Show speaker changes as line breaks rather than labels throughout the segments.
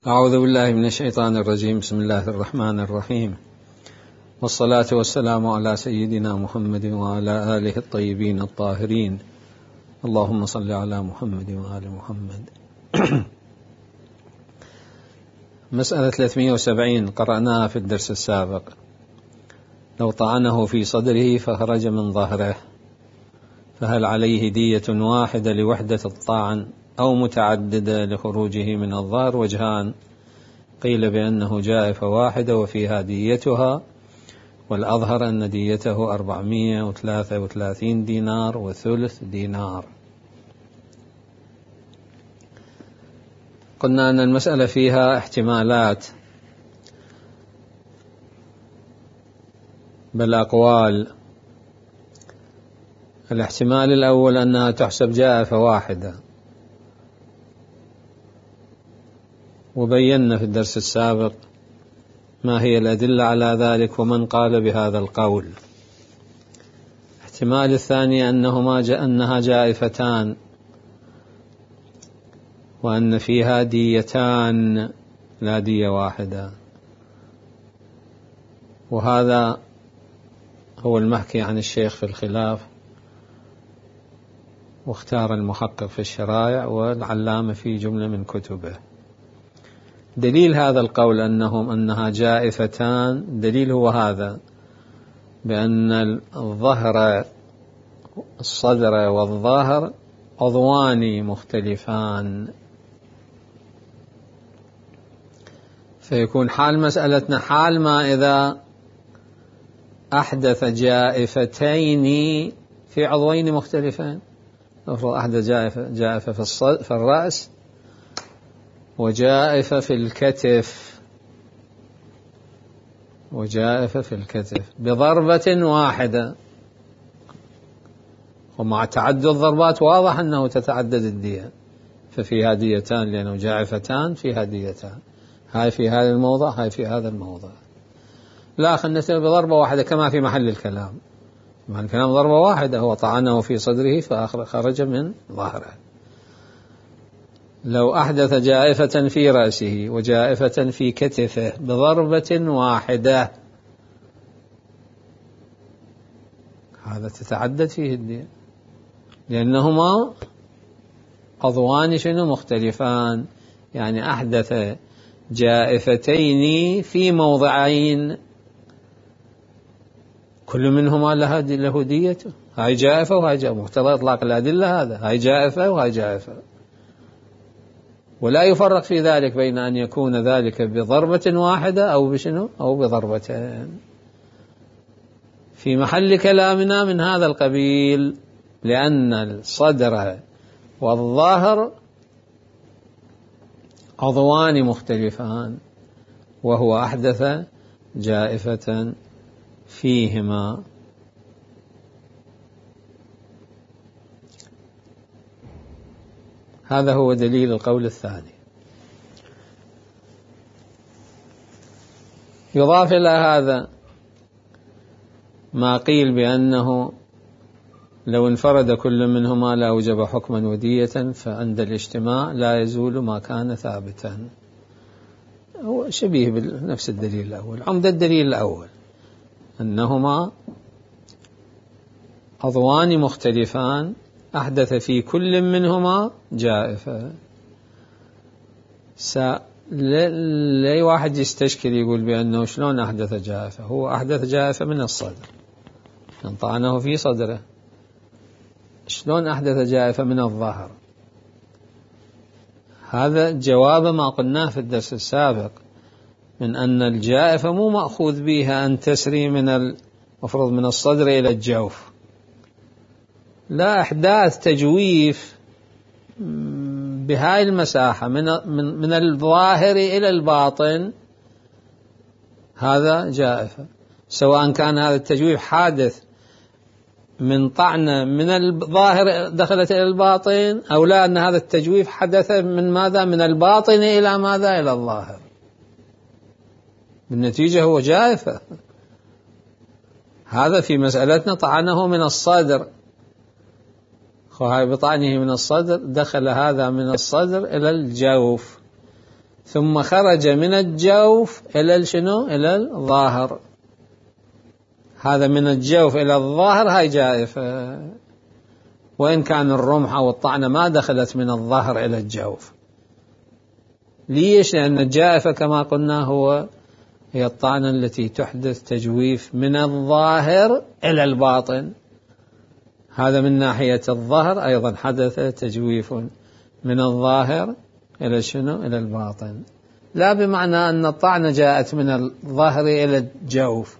أعوذ بالله من الشيطان الرجيم. بسم الله الرحمن الرحيم، والصلاة والسلام على سيدنا محمد وعلى آله الطيبين الطاهرين. اللهم صل على محمد وآل محمد. مسألة 370 قرأناها في الدرس السابق. لو طعنه في صدره فخرج من ظهره فهل عليه دية واحدة لوحدة الطعن أو متعددة لخروجه من الظهر؟ وجهان، قيل بأنه جائفة واحدة وفيها ديتها، والأظهر أن ديته 433 دينار وثلث دينار. قلنا أن المسألة فيها احتمالات بل أقوال. الاحتمال الأول أنها تحسب جائفة واحدة، وبينا في الدرس السابق ما هي الأدلة على ذلك ومن قال بهذا القول. الاحتمال الثاني أنها جائفتان وأن فيها ديتان لا دية واحدة، وهذا هو المحكي عن الشيخ في الخلاف، واختار المحقق في الشرائع والعلامة في جملة من كتبه. دليل هذا القول أنها جائفتان، دليل هو هذا، بأن الصدر والظهر عضوان مختلفان، فيكون حال مسألتنا حال ما إذا أحدث جائفتين في عضوين مختلفين. أفرض أحدث جائفة في الرأس وجائفة في الكتف بضربة واحدة، ومع تعدد الضربات واضح أنه تتعدد الدية، ففيها ديتان لأنه جائفتان فيها ديتان، هاي في هذا الموضع هاي في هذا الموضع. لا، خلنا نسأل بضربة واحدة كما في محل الكلام. محل الكلام ضربة واحدة، هو طعنه في صدره فخرج من ظهره. لو أحدث جائفة في رأسه وجائفة في كتفه بضربة واحدة، هذا تتعدد فيه الدية، لأنهما عضوان مختلفان، يعني أحدث جائفتين في موضعين كل منهما له ديته. هاي جائفة وهاي جائفة، مقتضى إطلاق الأدلة هذا، هاي جائفة وهاي جائفة، ولا يفرق في ذلك بين أن يكون ذلك بضربة واحدة أو بضربتين. في محل كلامنا من هذا القبيل، لأن الصدر والظهر عضوان مختلفان، وهو أحدث جائفة فيهما. هذا هو دليل القول الثاني. يضاف إلى هذا ما قيل بأنه لو انفرد كل منهما لأوجب حكما ودية، فعند الاجتماع لا يزول ما كان ثابتا. هو شبيه بنفس الدليل الأول. عمدة الدليل الأول أنهما عضوان مختلفان أحدث في كل منهما جائفة. لي واحد يستشكل يقول بأنه شلون أحدث جائفة؟ هو أحدث جائفة من الصدر، طعنه في صدره. شلون أحدث جائفة من الظهر؟ هذا جواب ما قلناه في الدرس السابق من أن الجائفة مو مأخوذ بها أن تسري مفروض من الصدر إلى الجوف، لا، إحداث تجويف بهاي المساحة من الظاهر إلى الباطن، هذا جائفة، سواء كان هذا التجويف حادث من طعنة من الظاهر دخلت إلى الباطن، أو لا، أن هذا التجويف حدث من ماذا؟ من الباطن إلى ماذا؟ إلى الظاهر. بالنتيجة هو جائفة. هذا في مسألتنا طعنه من الصدر، وهي بطعنه من الصدر دخل هذا من الصدر إلى الجوف، ثم خرج من الجوف إلى شنو؟ إلى الظاهر. هذا من الجوف إلى الظاهر هاي جائفة، وإن كان الرمح أو الطعنة ما دخلت من الظهر إلى الجوف. ليش؟ لأن الجائفة كما قلنا هي الطعنة التي تحدث تجويف من الظاهر إلى الباطن. هذا من ناحية الظهر أيضا حدث تجويف من الظاهر إلى شنو؟ إلى الباطن، لا بمعنى أن الطعنة جاءت من الظهر إلى الجوف،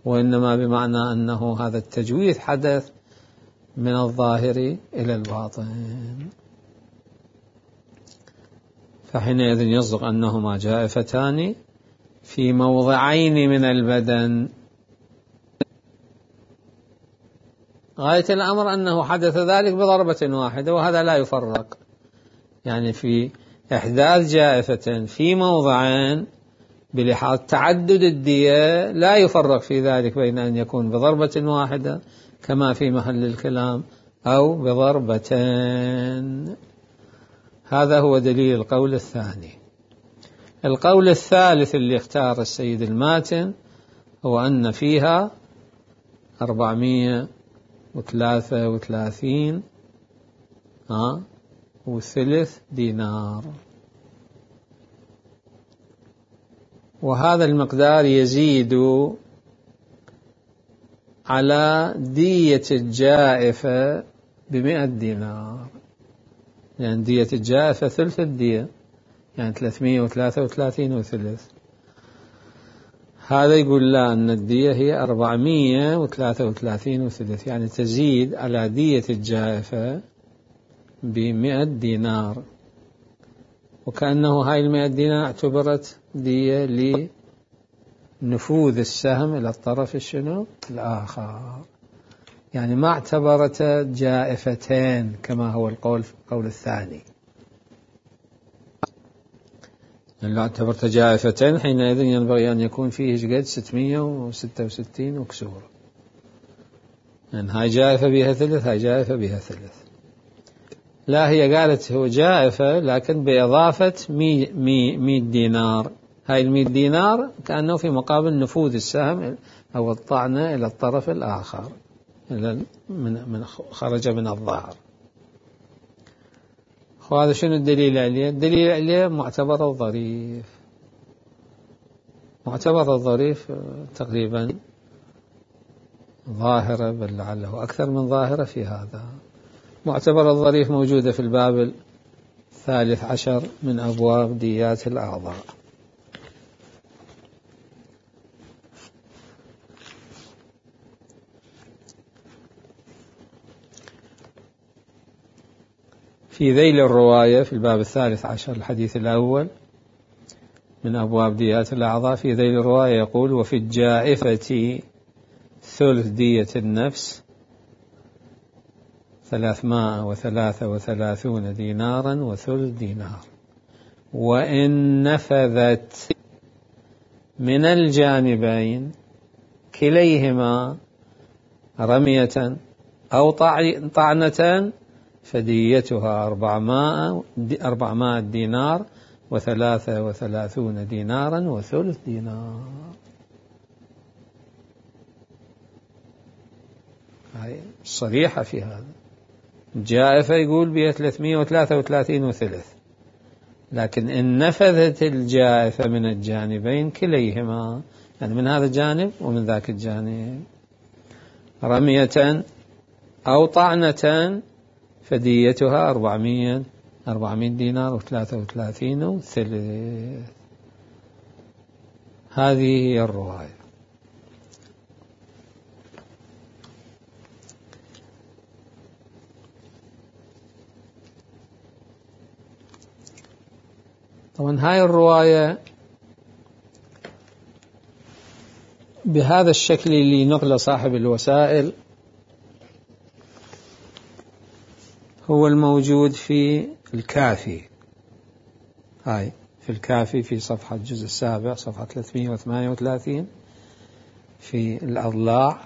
وإنما بمعنى أنه هذا التجويف حدث من الظاهر إلى الباطن. فحينئذ يصدق أنهما جائفتان في موضعين من البدن. غاية الأمر أنه حدث ذلك بضربة واحدة، وهذا لا يفرق، يعني في إحداث جائفة في موضعين بلحاظ تعدد الدية لا يفرق في ذلك بين أن يكون بضربة واحدة كما في محل الكلام أو بضربتين. هذا هو دليل القول الثاني. القول الثالث اللي اختار السيد الماتن هو أن فيها 433 وثلث دينار، وهذا المقدار يزيد على دية الجائفة ب100 دينار، يعني دية الجائفة ثلث الدية، يعني 333 وثلث. هذا يقول لا، أن الدية هي 433 وثلث، يعني تزيد على دية الجائفة ب100 دينار، وكأنه هاي 100 دينار اعتبرت دية لنفوذ السهم إلى الطرف الشنو الآخر، يعني ما اعتبرت جائفتين كما هو القول الثاني. لو اعتبرت جائفتين حينئذ ينبغي أن يكون فيه قد 666 وكسور، يعني هاي جائفة بها ثلث، هاي جائفة بها ثلث. لا، هي قالت هو جائفة لكن بإضافة 100 دينار. هاي 100 دينار كأنه في مقابل نفوذ السهم أو الطعنة إلى الطرف الآخر، خرج من الظهر. وهذا شنو الدليل عليه؟ الدليل عليه معتبر الظريف. معتبر الظريف تقريبا ظاهرة، بل لعله أكثر من ظاهرة في هذا. معتبر الظريف موجودة في الباب 13 من أبواب ديات الأعضاء. في ذيل الرواية في الباب 13 الحديث الأول من أبواب ديات الأعضاء، في ذيل الرواية يقول: وفي الجائفة ثلث دية النفس 333 دينارا وثلث دينار، وإن نفذت من الجانبين كليهما رمية أو طعنة فديتها 400 دينار و33 دينارا وثلث دينار. هاي صريحة في هذا. الجائفة يقول بها 333 وثلث، لكن إن نفذت الجائفة من الجانبين كليهما، يعني من هذا الجانب ومن ذاك الجانب، رمية أو طعنة فديتها 400 دينار و33 وثلث. هذه هي الرواية. طبعا هاي الرواية بهذا الشكل اللي نقل صاحب الوسائل هو الموجود في الكافي. هاي في الكافي في صفحة الجزء السابع صفحة 338 في الأضلاع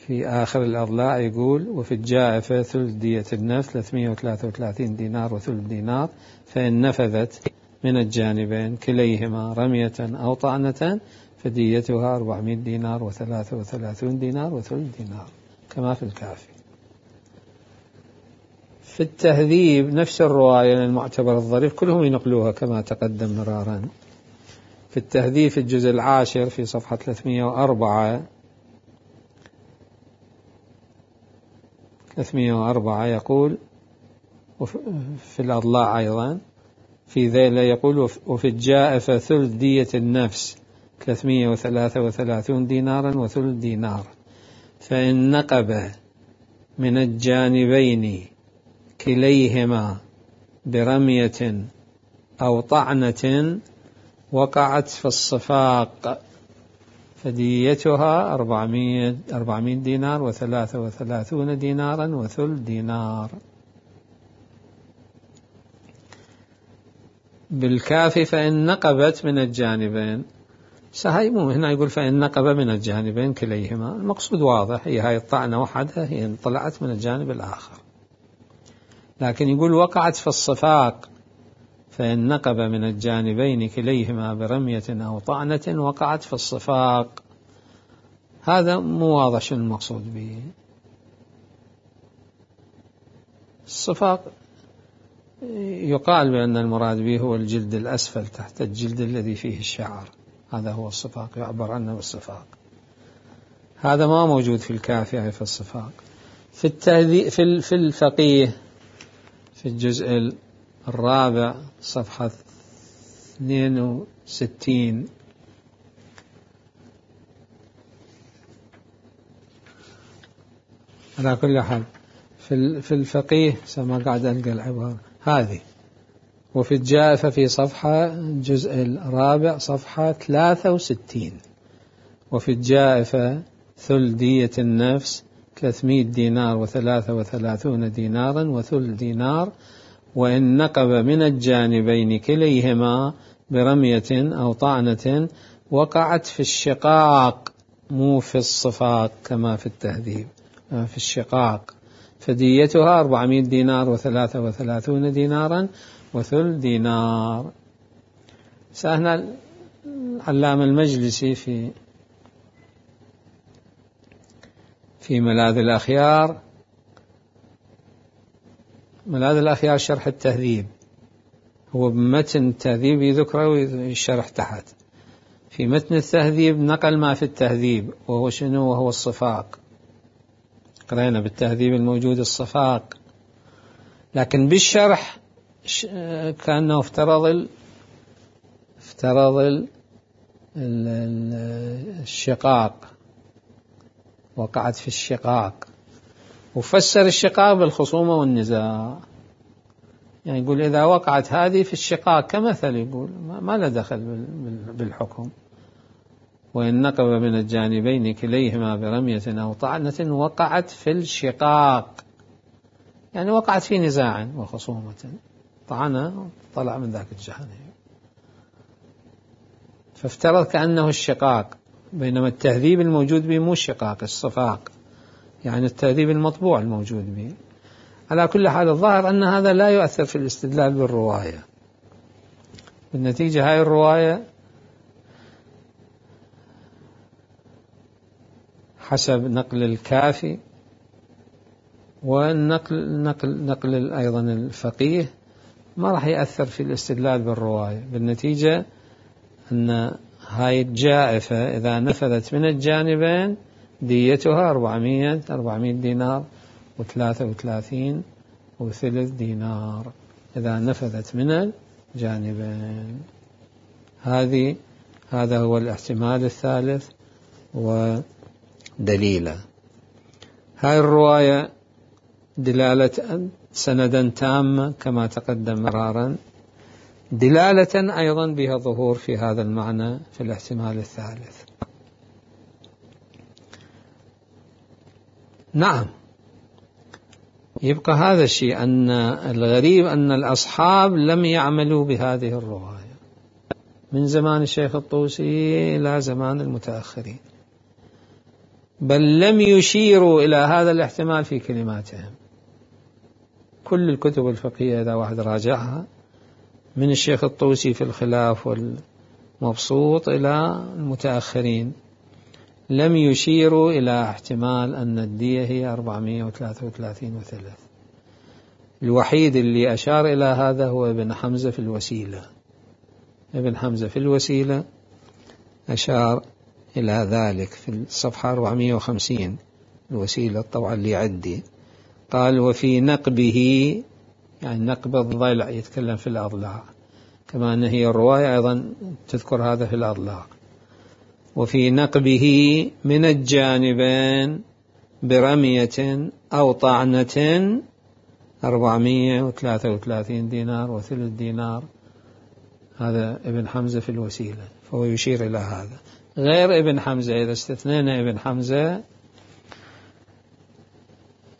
في آخر الأضلاع يقول: وفي الجائفة ثلث دية النفس 333 دينار وثلث دينار، فإن نفذت من الجانبين كليهما رمية أو طعنة فديتها 400 دينار و33 دينار وثلث دينار، كما في الكافي. في التهذيب نفس الرواية المعتبر الظريف كلهم ينقلوها كما تقدم مرارا. في التهذيب في الجزء 10 في صفحة 304 يقول، في الأضلاع أيضا في ذيل يقول: وفي الجائفة ثلث دية النفس 333 دينارا وثلث دينار، فإن نقب من الجانبين كليهما برمية أو طعنة وقعت في الصفاق فديتها 400 دينار و33 دينارا وثلث دينار. بالكافي فإن نقبت من الجانبين، سهيمو هنا يقول فإن نقب من الجانبين كليهما، المقصود واضح، هي هاي الطعنة وحدها هي طلعت من الجانب الآخر، لكن يقول وقعت في الصفاق فإن نقب من الجانبين كليهما برمية أو طعنة وقعت في الصفاق، هذا مو واضح شنو المقصود به. الصفاق يقال بأن المراد به هو الجلد الأسفل تحت الجلد الذي فيه الشعر، هذا هو الصفاق، يعبر عنه بالصفاق. هذا ما موجود في الكافي في الصفاق. في الفقيه في الجزء 4 صفحة 62 على كل حال في الفقيه سما قاعد ألقى العبارة هذه. وفي الجائفة في صفحة الجزء 4 صفحة 63: وفي الجائفة ثلث دية النفس 300 دينار و33 دينارا وثلث دينار، وإن نقب من الجانبين كليهما برمية أو طعنة وقعت في الشقاق، مو في الصفاق كما في التهذيب، في الشقاق، فديتها 400 دينار و33 دينارا وثلث دينار. سهنا العلامة المجلسي في ملاذ الأخيار، ملاذ الأخيار شرح التهذيب، هو بمتن التهذيب يذكره ويشرح تحت. في متن التهذيب نقل ما في التهذيب وهو شنو؟ وهو الصفاق. قرأنا بالتهذيب الموجود الصفاق، لكن بالشرح كأنه افترض الشقاق، وقعت في الشقاق، وفسر الشقاق بالخصومة والنزاع. يعني يقول إذا وقعت هذه في الشقاق كمثل، يقول ما له دخل بالحكم. وإن نقب من الجانبين كليهما برمية أو طعنة وقعت في الشقاق، يعني وقعت في نزاع وخصومة، طعنة طلع من ذاك الجانب، فافترض كأنه الشقاق، بينما التهذيب الموجود به مو الشقاق، الصفاق، يعني التهذيب المطبوع الموجود به. على كل حال الظاهر أن هذا لا يؤثر في الاستدلال بالرواية. بالنتيجة هاي الرواية حسب نقل الكافي ونقل أيضا الفقيه ما راح يأثر في الاستدلال بالرواية. بالنتيجة أن هاي الجائفة إذا نفذت من الجانبين ديتها 400 دينار و33 وثلث دينار إذا نفذت من الجانبين. هذا هو الاحتمال الثالث ودليله. هاي الرواية دلالة سندا تامة كما تقدم مرارا، دلالة أيضا بها ظهور في هذا المعنى في الاحتمال الثالث. نعم، يبقى هذا الشيء، أن الغريب أن الأصحاب لم يعملوا بهذه الرواية من زمان الشيخ الطوسي إلى زمان المتأخرين. بل لم يشيروا إلى هذا الاحتمال في كلماتهم. كل الكتب الفقهية إذا واحد راجعها من الشيخ الطوسي في الخلاف والمبسوط إلى المتأخرين لم يشيروا إلى احتمال أن الدية هي 433 وثلث. الوحيد اللي أشار إلى هذا هو ابن حمزة في الوسيلة. ابن حمزة في الوسيلة أشار إلى ذلك في الصفحة 450 الوسيلة طبعا اللي عندي. قال وفي نقبه، يعني نقب الضلع يتكلم في الأضلاع، كما أن هي الرواية أيضا تذكر هذا في الأضلاع. وفي نقبه من الجانبين برمية أو طعنة 433 دينار وثلث دينار. هذا ابن حمزة في الوسيلة، فهو يشير إلى هذا. غير ابن حمزة إذا استثنينا ابن حمزة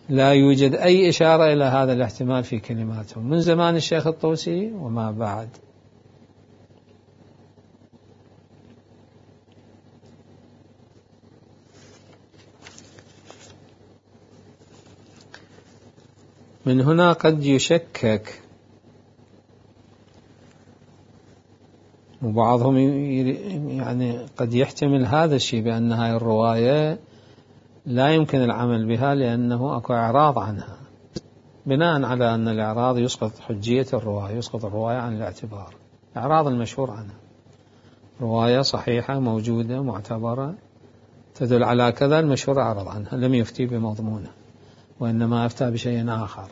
لا يوجد أي إشارة إلى هذا الاحتمال في كلماته من زمان الشيخ الطوسي وما بعد. من هنا قد يشكك وبعضهم يعني قد يحتمل هذا الشيء بأن هذه الرواية لا يمكن العمل بها لأنه أكو إعراض عنها، بناء على أن الإعراض يسقط حجية الرواية، يسقط الرواية عن الاعتبار. إعراض المشهور عنها رواية صحيحة موجودة معتبرة تدل على كذا، المشهور أعرض عنها لم يفتي بمضمونه وإنما أفتى بشيء آخر،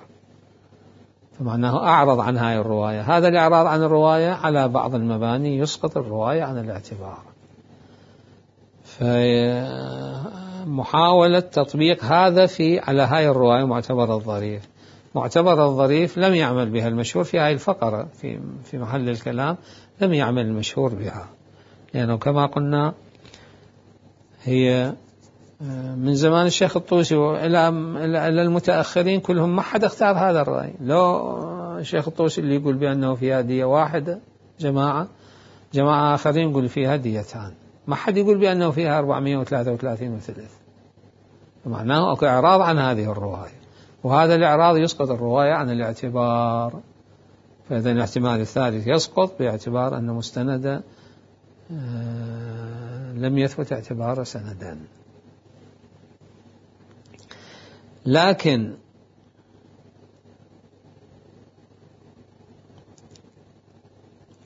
فمعناه أعرض عن هذه الرواية. هذا الإعراض عن الرواية على بعض المباني يسقط الرواية عن الاعتبار. فمحاولة تطبيق هذا على هاي الرواية معتبر الظريف. معتبر الظريف لم يعمل بها المشهور في هاي الفقرة في محل الكلام، لم يعمل المشهور بها، لأنه كما قلنا هي من زمان الشيخ الطوسي إلى المتأخرين كلهم ما حد اختار هذا الرأي. لو الشيخ الطوسي اللي يقول بأنه فيها دية واحدة، جماعة آخرين يقول فيها ديتان، ما حد يقول بأنه فيها 433 وثلث. معناه أكو إعراض عن هذه الرواية، وهذا الإعراض يسقط الرواية عن الاعتبار. فإذا الاحتمال الثالث يسقط باعتبار أن مستند لم يثبت اعتبار سندا. لكن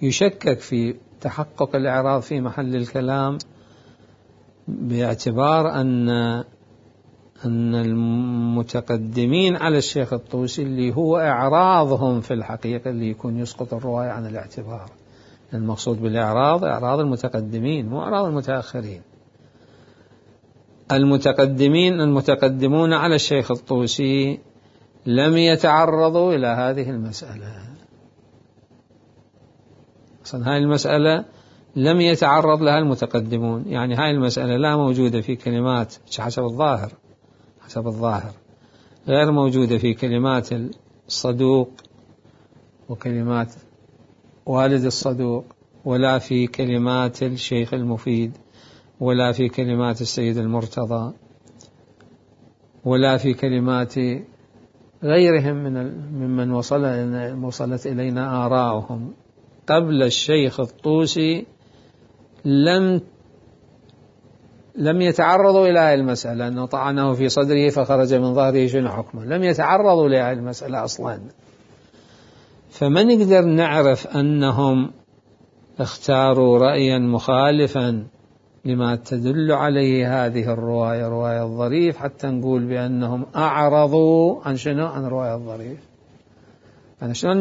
يشكك في تحقق الإعراض في محل الكلام باعتبار أن المتقدمين على الشيخ الطوسي اللي هو إعراضهم في الحقيقة اللي يكون يسقط الرواية عن الاعتبار. المقصود بالإعراض إعراض المتقدمين مو إعراض المتأخرين. المتقدمون على الشيخ الطوسي لم يتعرضوا إلى هذه المسألة. أصلا هاي المسألة لم يتعرض لها المتقدمون، يعني هاي المسألة لا موجودة في كلمات حسب الظاهر غير موجودة في كلمات الصدوق وكلمات والد الصدوق، ولا في كلمات الشيخ المفيد، ولا في كلمات السيد المرتضى، ولا في كلمات غيرهم ممن وصلت إلينا آراؤهم قبل الشيخ الطوسي. لم يتعرضوا إلى هذه المسألة أنه طعنه في صدره فخرج من ظهره شنو حكمه، لم يتعرضوا لهذه المسألة أصلا. فما نقدر نعرف أنهم اختاروا رأيا مخالفا لما تدل عليه هذه الرواية، رواية الظريف، حتى نقول بأنهم أعرضوا عن شنو؟ عن رواية الظريف. يعني شلون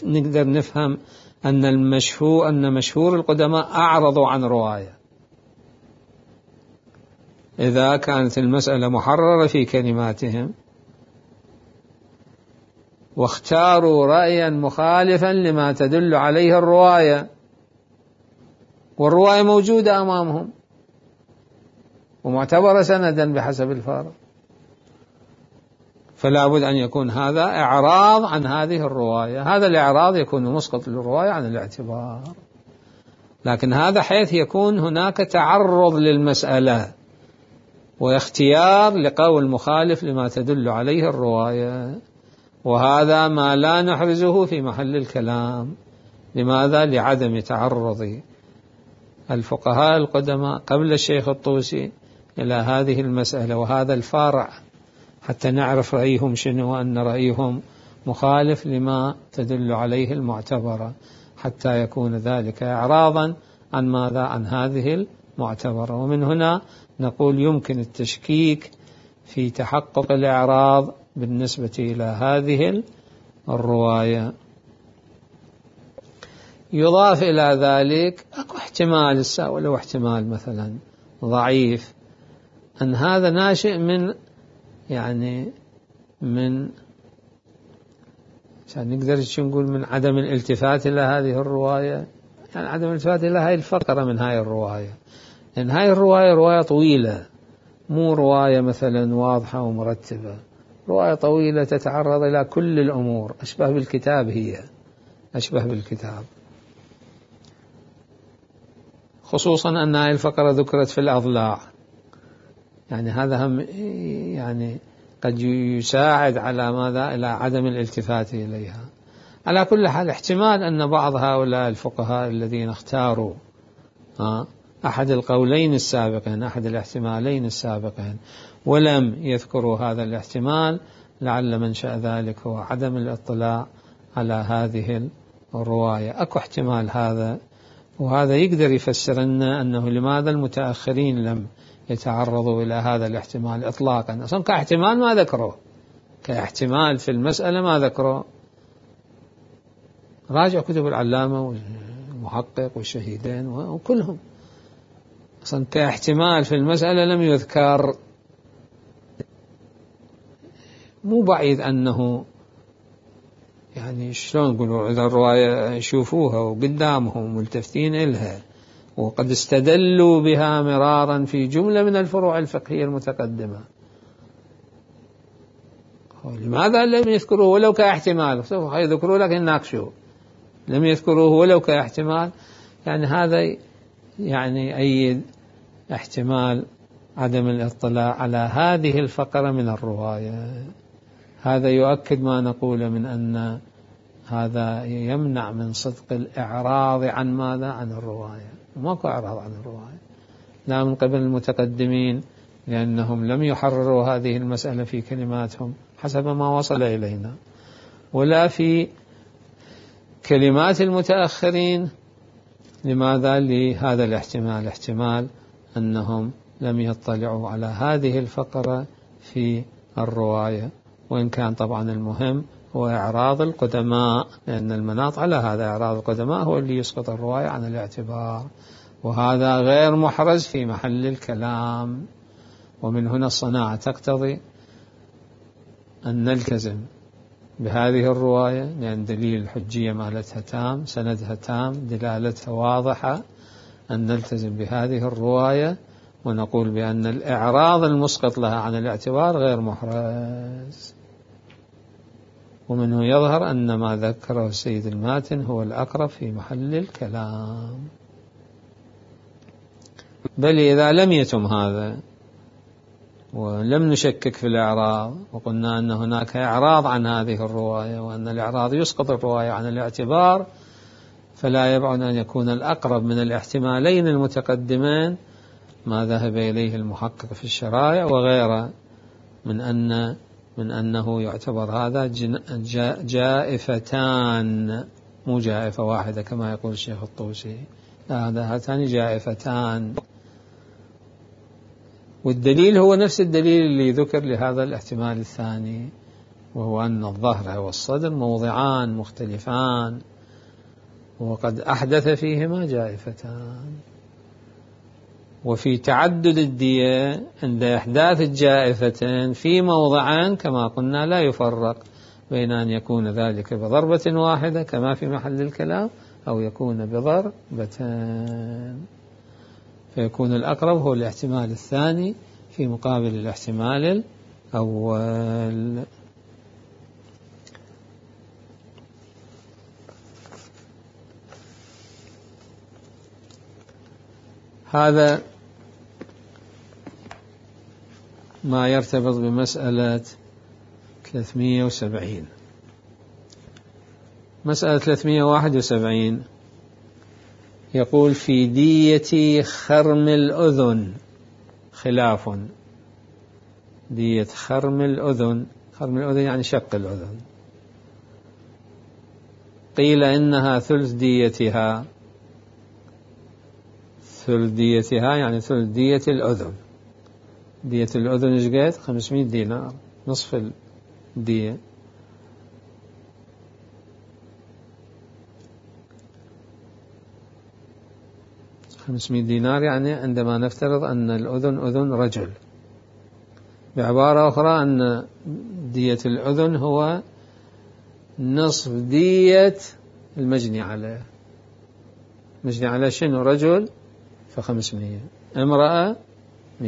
نقدر نفهم أن مشهور القدماء أعرضوا عن رواية إذا كانت المسألة محررة في كلماتهم واختاروا رأيا مخالفا لما تدل عليه الرواية، والرواية موجودة أمامهم ومعتبرة سندا بحسب الفارق. فلا بد أن يكون هذا إعراض عن هذه الرواية. هذا الإعراض يكون مسقط للرواية عن الاعتبار، لكن هذا حيث يكون هناك تعرض للمسألة، واختيار لقول مخالف لما تدل عليه الرواية، وهذا ما لا نحرزه في محل الكلام. لماذا؟ لعدم تعرض الفقهاء القدماء قبل الشيخ الطوسي إلى هذه المسألة وهذا الفارع حتى نعرف رأيهم شنو، وأن رأيهم مخالف لما تدل عليه المعتبرة، حتى يكون ذلك إعراضا عن ماذا؟ عن هذه المعتبرة. ومن هنا نقول يمكن التشكيك في تحقق الإعراض بالنسبة إلى هذه الرواية. يضاف إلى ذلك أكو احتمال ولو احتمال مثلا ضعيف أن هذا ناشئ من عشان نقدر نقول من عدم الالتفات إلى هذه الرواية، يعني عدم الالتفات إلى هذه الفقرة من هاي الرواية، لأن هاي الرواية رواية طويلة، مو رواية مثلا واضحة ومرتبة، رواية طويلة تتعرض إلى كل الأمور، أشبه بالكتاب، هي أشبه بالكتاب، خصوصا أن هذه الفقرة ذكرت في الأضلاع، يعني هذا هم يعني قد يساعد على ماذا؟ إلى عدم الالتفات إليها. على كل حال احتمال أن بعض هؤلاء الفقهاء الذين اختاروا أحد القولين السابقين، أحد الاحتمالين السابقين، ولم يذكروا هذا الاحتمال، لعل منشأ ذلك هو عدم الاطلاع على هذه الرواية. أكو احتمال هذا، وهذا يقدر يفسر لنا أنه لماذا المتأخرين لم يتعرضوا إلى هذا الاحتمال إطلاقا. أصلا كاحتمال ما ذكره، كاحتمال في المسألة ما ذكره. راجع كتب العلامة والمحقق والشهيدين وكلهم، أصلا كاحتمال في المسألة لم يذكر. مو بعيد أنه يعني شلون نقولوا إذا الرواية يشوفوها وقدامهم ملتفتين إلها وقد استدلوا بها مرارا في جملة من الفروع الفقهية المتقدمة، لماذا لم يذكروه ولو كاحتمال؟ سوف يذكروا لك يناقشوا، لم يذكروه ولو كاحتمال. يعني هذا يعني أيد احتمال عدم الاطلاع على هذه الفقرة من الرواية. هذا يؤكد ما نقول من أن هذا يمنع من صدق الإعراض عن ماذا؟ عن الرواية. ماكو إعراض عن الرواية، لا من قبل المتقدمين، لأنهم لم يحرروا هذه المسألة في كلماتهم حسب ما وصل إلينا، ولا في كلمات المتأخرين. لماذا؟ لهذا الاحتمال، احتمال أنهم لم يطلعوا على هذه الفقرة في الرواية، وإن كان طبعا المهم هو إعراض القدماء، لأن المناط على هذا إعراض القدماء هو اللي يسقط الرواية عن الاعتبار، وهذا غير محرز في محل الكلام. ومن هنا الصناعة تقتضي أن نلتزم بهذه الرواية، لأن دليل الحجية مالتها تام، سندها تام، دلالتها واضحة، أن نلتزم بهذه الرواية ونقول بأن الإعراض المسقط لها عن الاعتبار غير محرز. ومنه يظهر أن ما ذكره السيد الماتن هو الأقرب في محل الكلام. بل إذا لم يتم هذا ولم نشكك في الإعراض وقلنا أن هناك إعراض عن هذه الرواية وأن الإعراض يسقط الرواية عن الاعتبار، فلا يبعد أن يكون الأقرب من الاحتمالين المتقدمين ما ذهب إليه المحقق في الشرائع وغيره، من أنه يعتبر هذا جائفتان، مو جائفة واحدة كما يقول الشيخ الطوسي، لا، هاتان جائفتان. والدليل هو نفس الدليل اللي ذكر لهذا الاحتمال الثاني، وهو أن الظهر والصدر موضعان مختلفان وقد أحدث فيهما جائفتان. وفي تعدد الدية عند إحداث الجائفتين في موضعان كما قلنا لا يفرق بين أن يكون ذلك بضربة واحدة كما في محل الكلام أو يكون بضربتين، فيكون الأقرب هو الاحتمال الثاني في مقابل الاحتمال الأول. هذا ما يرتبط بمسألة 370. مسألة 371 يقول في دية خرم الأذن خلاف. دية خرم الأذن، خرم الأذن يعني شق الأذن، قيل إنها ثلث ديتها. ثلث ديتها يعني ثلث دية الأذن. دية الأذن ايش قد؟ 500 دينار، نصف الدية. $500 يعني عندما نفترض أن الأذن أذن رجل. بعبارة أخرى أن دية الأذن هو نصف دية المجني عليه. مجني عليه شنو؟ رجل ف500، امرأة 250،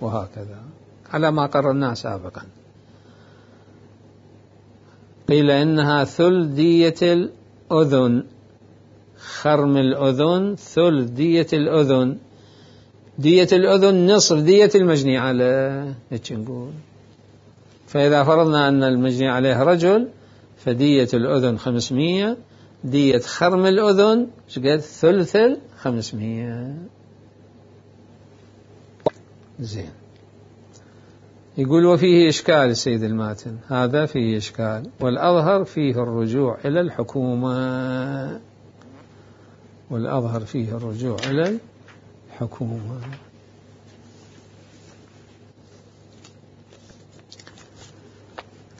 وهكذا على ما قررناه سابقا. قيل إنها ثلث دية الأذن. خرم الأذن ثلث دية الأذن. دية الأذن نصف دية المجني عليه، هيك نقول. فإذا فرضنا أن المجني عليه رجل فدية الأذن 500، دية خرم الأذن شقد؟ ثلث 500. زين. يقول وفيه إشكال السيد الماتن، هذا فيه إشكال، والأظهر فيه الرجوع إلى الحكومة. والأظهر فيه الرجوع إلى الحكومة.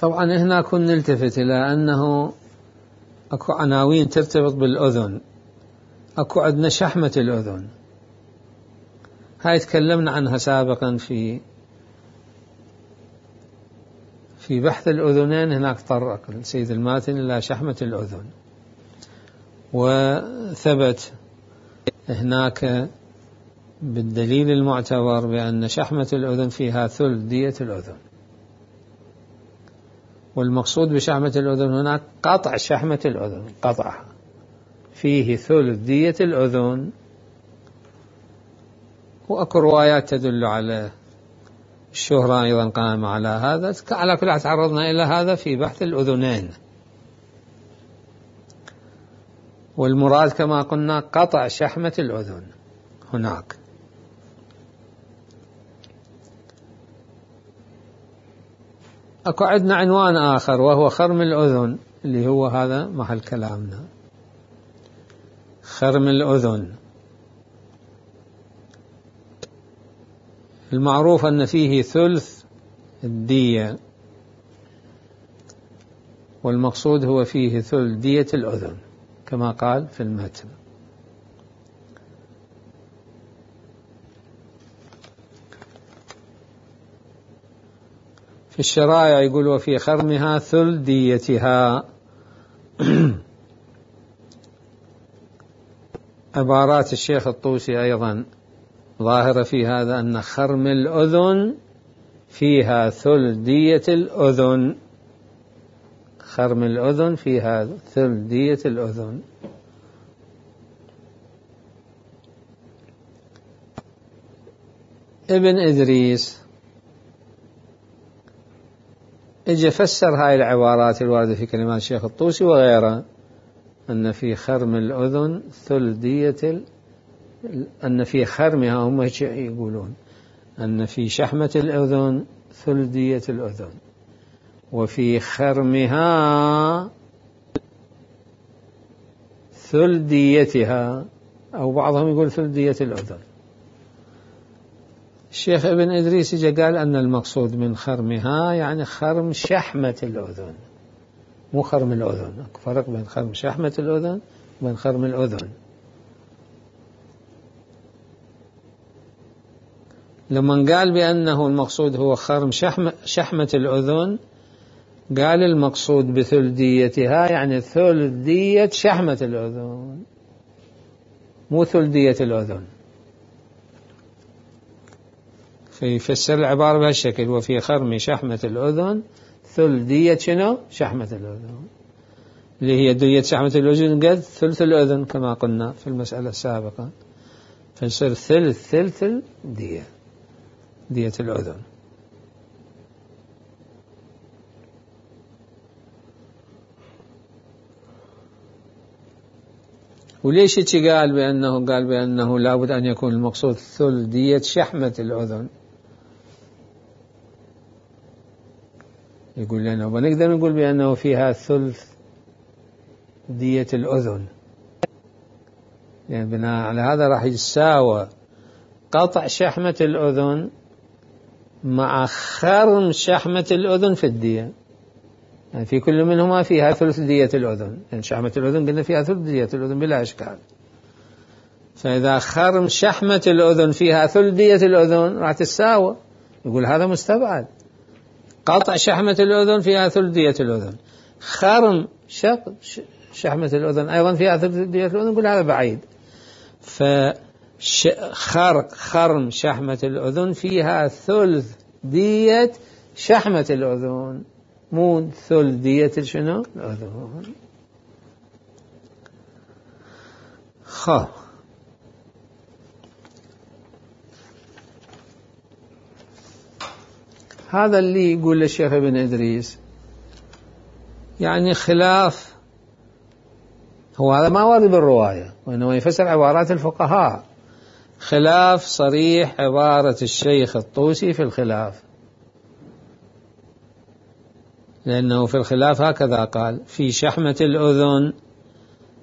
طبعا هنا كنا نلتفت إلى أنه أكو عناوين ترتبط بالأذن. أكو عندنا شحمة الأذن، هاي تكلمنا عنها سابقا في بحث الأذنين. هناك طرق السيد الماتن إلى شحمة الأذن، وثبت هناك بالدليل المعتبر بأن شحمة الأذن فيها ثلث دية الأذن. والمقصود بشحمة الأذن هناك قطع شحمة الأذن، قطعها فيه ثلث دية الأذن. وأكو روايات تدل على الشهرة أيضا قائمة على هذا. على كل حال تعرضنا إلى هذا في بحث الأذنين، والمراد كما قلنا قطع شحمة الأذن هناك. أكو عندنا عنوان آخر وهو خرم الأذن، اللي هو هذا محل كلامنا. خرم الأذن المعروف أن فيه ثلث الدية، والمقصود هو فيه ثلث دية الأذن كما قال في المتن. في الشرائع يقول وفي خرمها ثلث ديتها. عبارات الشيخ الطوسي أيضا ظاهرة في هذا، أن خرم الأذن فيها ثلث دية الأذن. خرم الأذن فيها ثلث دية الأذن. ابن إدريس اجى فسر هاي العبارات الواردة في كلمات الشيخ الطوسي وغيره، أن في خرم الأذن ثلث دية أن في خرمها، هم يقولون أن في شحمة الأذن ثلث دية الأذن، وفي خرمها ثلث ديتها، أو بعضهم يقول ثلث دية الأذن. الشيخ ابن إدريس جاء قال أن المقصود من خرمها يعني خرم شحمة الأذن، مو خرم الأذن. فرق بين خرم شحمة الأذن وبين خرم الأذن. لما قال بأنه المقصود هو خرم شحمة الأذن، قال المقصود بثلث ديتها يعني ثلث دية شحمة الأذن، مو ثلث دية الأذن. فيفسر العبارة بهالشكل: وفي خرم شحمة الأذن ثلث دية شنو؟ شحمة الأذن، اللي هي دية شحمة الأذن قد ثلث الأذن كما قلنا في المسألة السابقة، فيصير ثلث الدية، دية الأذن. وليش قال بأنه لابد أن يكون المقصود ثلث دية شحمة الأذن؟ يقول لنا ونقدر نقول بأنه فيها ثلث دية الأذن، يعني بناء على هذا راح يساوى قطع شحمة الأذن مع خرم شحمة الأذن في الدية، يعني في كل منهما فيها ثلث دية الأذن، يعني شحمة الأذن قلنا فيها ثلث دية الأذن بلا إشكال. فإذا خرم شحمة الأذن فيها ثلث دية الأذن راح تساوى، يقول هذا مستبعد. قطع شحمة الأذن فيها ثلث دية الأذن، خرم شحمة الأذن أيضا فيها ثلث دية الأذن، يقول هذا بعيد. خرم شحمة الأذن فيها ثلث دية شحمة الأذن، مو ثلث دية شنو الأذن. هذا اللي يقول الشيخ ابن إدريس يعني خلاف، هو هذا ما ورد بالرواية وإنما يفسر عبارات الفقهاء، خلاف صريح عبارة الشيخ الطوسي في الخلاف، لأنه في الخلاف هكذا قال: في شحمة الأذن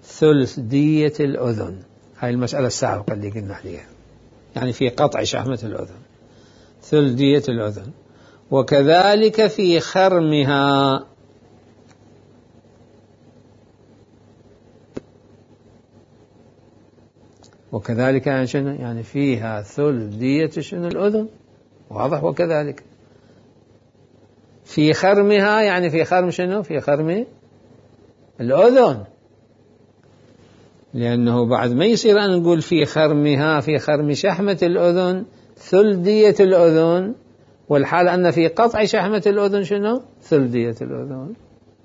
ثلث دية الأذن. هاي المسألة السابقة اللي قلنا عليها، يعني في قطع شحمة الأذن ثلث دية الأذن، وكذلك في خرمها، وكذلك يعني فيها ثلث دية شنو الأذن، واضح. وكذلك في خرمها، يعني في خرم شنو، في خرم الأذن، لأنه بعد ما يصير أن نقول في خرمها، في خرم شحمة الأذن ثلث دية الأذن، والحال أن في قطع شحمة الأذن شنو ثلث دية الأذن.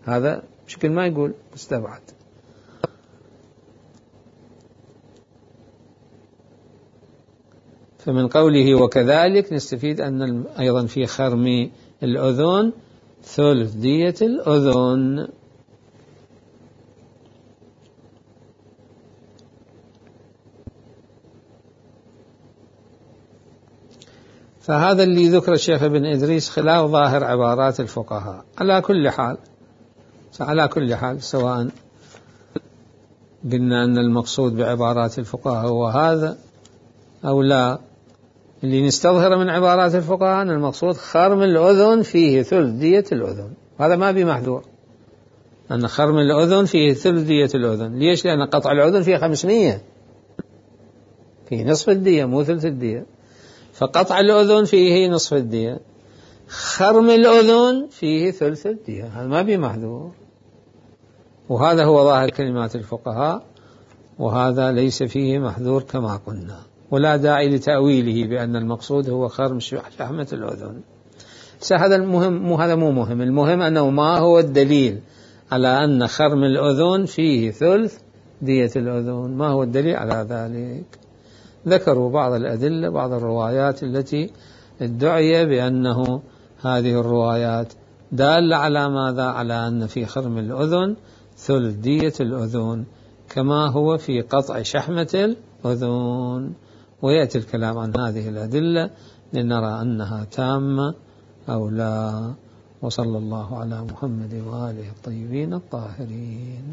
هذا بشكل ما يقول مستبعد. فمن قوله وكذلك نستفيد أن أيضا في خرم الأذن ثلث دية الأذن. فهذا اللي ذكر الشيخ ابن إدريس خلاف ظاهر عبارات الفقهاء. على كل حال سواء قلنا أن المقصود بعبارات الفقهاء هو هذا أو لا، اللي نستظهر من عبارات الفقهاء أن المقصود خرم الأذن فيه ثلث دية الأذن، هذا ما بمحذور، أن خرم الأذن فيه ثلث دية الأذن. ليش؟ لأن قطع الأذن فيه 500، فيه نصف الدية مو ثلث الدية، فقطع الأذن فيه نصف الدية، خرم الأذن فيه ثلث الدية، هذا ما بمحذور. وهذا هو ظاهر كلمات الفقهاء، وهذا ليس فيه محذور كما قلنا، ولا داعي لتأويله بأن المقصود هو خرم شحمة الأذن. هذا مو مهم. المهم أنه ما هو الدليل على أن خرم الأذن فيه ثلث دية الأذن، ما هو الدليل على ذلك؟ ذكروا بعض الأدلة، بعض الروايات التي ادعي بأنه هذه الروايات دالة على ماذا؟ على أن في خرم الأذن ثلث دية الأذن كما هو في قطع شحمة الأذن. ويأتي الكلام عن هذه الأدلة لنرى أنها تامة أو لا. وصلى الله على محمد وآله الطيبين الطاهرين.